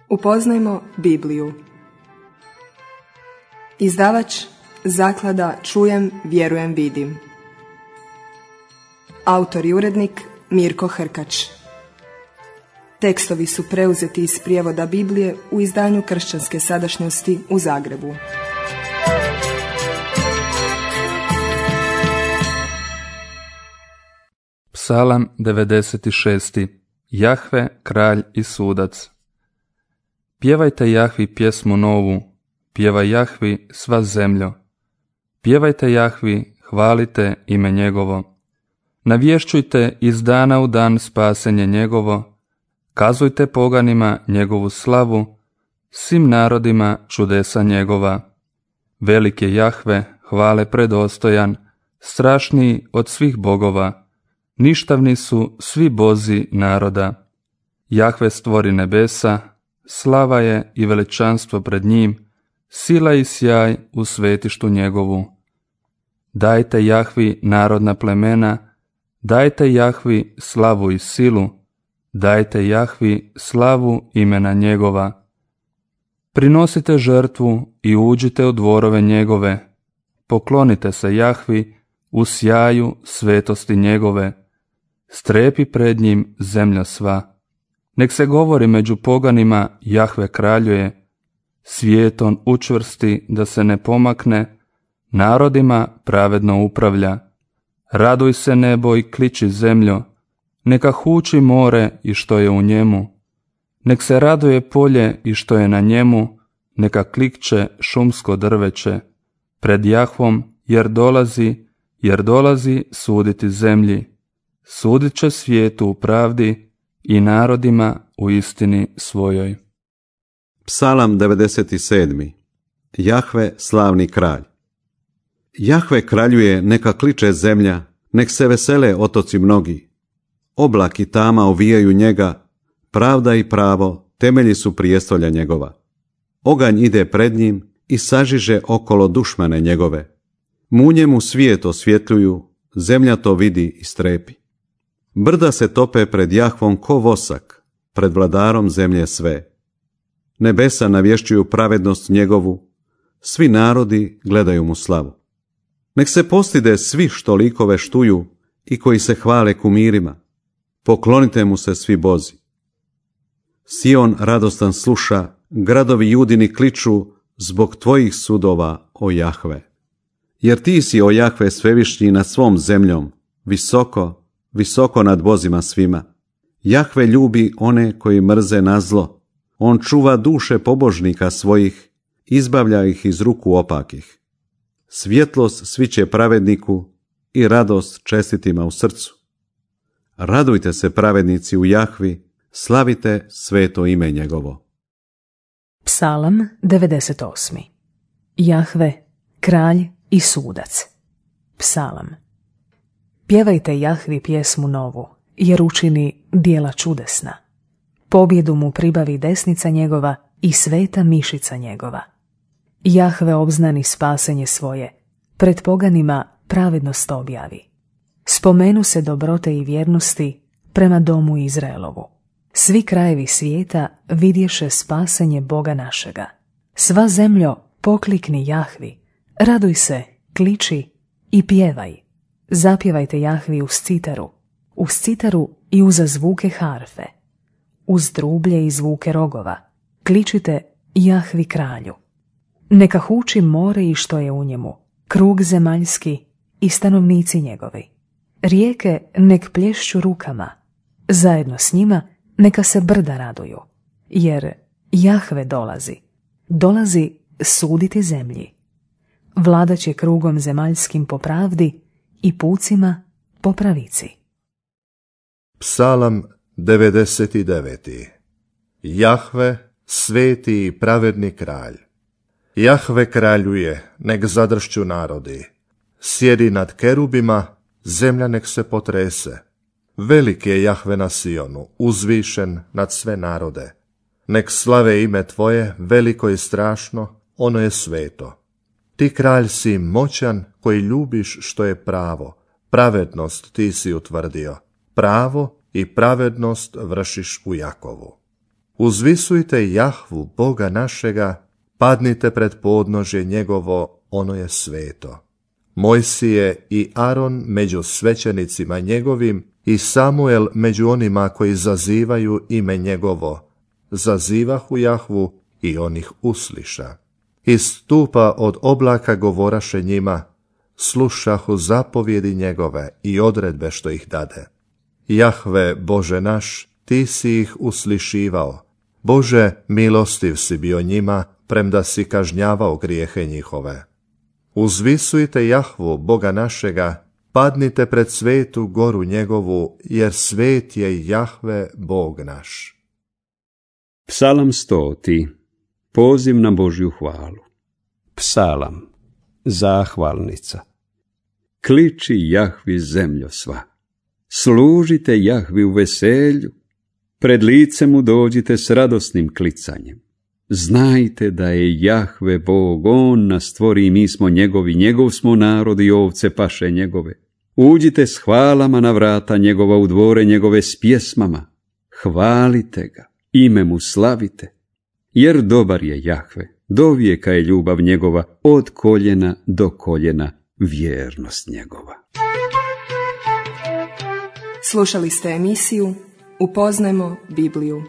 Upoznajmo Bibliju. Izdavač Zaklada Čujem, vjerujem, vidim. Autor i urednik Mirko Hrkač. Tekstovi su preuzeti iz prijevoda Biblije u izdanju Kršćanske sadašnjosti u Zagrebu. Psalam 96. Jahve, kralj i sudac. Pjevajte Jahvi pjesmu novu, pjevaj Jahvi sva zemljo. Pjevajte Jahvi, hvalite ime njegovo. Navješćujte iz dana u dan spasenje njegovo, kazujte poganima njegovu slavu, svim narodima čudesa njegova. Velik je Jahve, hvale predostojan, strašniji od svih bogova, ništavni su svi bozi naroda. Jahve stvori nebesa, slava je i veličanstvo pred njim, sila i sjaj u svetištu njegovu. Dajte Jahvi narodna plemena, dajte Jahvi slavu i silu, dajte Jahvi slavu imena njegova. Prinosite žrtvu i uđite u dvorove njegove, poklonite se Jahvi u sjaju svetosti njegove, strepi pred njim zemlja sva. Nek se govori među poganima, Jahve kraljuje, svijet on učvrsti da se ne pomakne, narodima pravedno upravlja. Raduj se nebo i kliči zemljo, neka huči more i što je u njemu. Nek se raduje polje i što je na njemu, neka klikće šumsko drveće. Pred Jahvom jer dolazi suditi zemlji. Sudit će svijetu u pravdi i narodima u istini svojoj. Psalam 97. Jahve, slavni kralj. Jahve kraljuje, neka kliče zemlja, nek se vesele otoci mnogi. Oblak i tama ovijaju njega, pravda i pravo temelji su prijestolja njegova. Oganj ide pred njim i sažiže okolo dušmane njegove. Munje mu svijet osvjetljuju, zemlja to vidi i strepi. Brda se tope pred Jahvom ko vosak, pred vladarom zemlje sve. Nebesa navješćuju pravednost njegovu, svi narodi gledaju mu slavu. Nek se postide svi što likove štuju i koji se hvale kumirima. Poklonite mu se svi bozi. Sion radostan sluša, gradovi Judini kliču zbog tvojih sudova, o Jahve. Jer ti si, o Jahve, svevišnji nad svom zemljom, visoko, visoko nad bozima svima. Jahve ljubi one koji mrze na zlo. On čuva duše pobožnika svojih, izbavlja ih iz ruku opakih. Svjetlost sviće pravedniku i radost čestitima u srcu. Radujte se pravednici u Jahvi, slavite sveto ime njegovo. Psalam 98. Jahve, kralj i sudac. Psalam. Pjevajte Jahvi pjesmu novu, jer učini djela čudesna. Pobjedu mu pribavi desnica njegova i sveta mišica njegova. Jahve obznani spasenje svoje, pred poganima pravednost objavi. Spomenu se dobrote i vjernosti prema domu Izraelovu. Svi krajevi svijeta vidješe spasenje Boga našega. Sva zemljo, poklikni Jahvi, raduj se, kliči i pjevaj. Zapjevajte Jahvi uz citaru i uza zvuke harfe, uz trublje i zvuke rogova. Kličite Jahvi kralju. Neka huči more i što je u njemu, krug zemaljski i stanovnici njegovi. Rijeke nek plješću rukama, zajedno s njima neka se brda raduju, jer Jahve dolazi suditi zemlji. Vladat će krugom zemaljskim po pravdi i pucima po pravici. Psalam 99. Jahve, sveti i pravedni kralj. Jahve kraljuje, nek zadršću narodi. Sjedi nad kerubima, zemlja nek se potrese. Velik je Jahve na Sionu, uzvišen nad sve narode. Nek slave ime tvoje, veliko i strašno, ono je sveto. Ti kralj si moćan koji ljubiš što je pravo, pravednost ti si utvrdio, pravo i pravednost vršiš u Jakovu. Uzvisujte Jahvu, Boga našega, padnite pred podnožje njegovo, ono je sveto. Mojsije i Aron među svećenicima njegovim i Samuel među onima koji zazivaju ime njegovo, zazivahu Jahvu i on ih usliša. Iz stupa od oblaka govoraše njima, slušahu zapovjedi njegove i odredbe što ih dade. Jahve, Bože naš, ti si ih uslišivao. Bože, milostiv si bio njima, premda si kažnjavao grijehe njihove. Uzvisujte Jahvu, Boga našega, padnite pred svetu goru njegovu, jer svet je Jahve, Bog naš. Psalam 100. Poziv na Božju hvalu. Psalam, zahvalnica. Kliči Jahvi zemljo sva. Služite Jahvi u veselju. Pred lice mu dođite s radosnim klicanjem. Znajte da je Jahve Bog, on nas stvori i mi smo njegovi, njegov smo narod i ovce paše njegove. Uđite s hvalama na vrata njegova, u dvore njegove s pjesmama. Hvalite ga, ime mu slavite, jer dobar je Jahve, do vijeka je ljubav njegova, od koljena do koljena vjernost njegova. Slušali ste emisiju Upoznajmo Bibliju.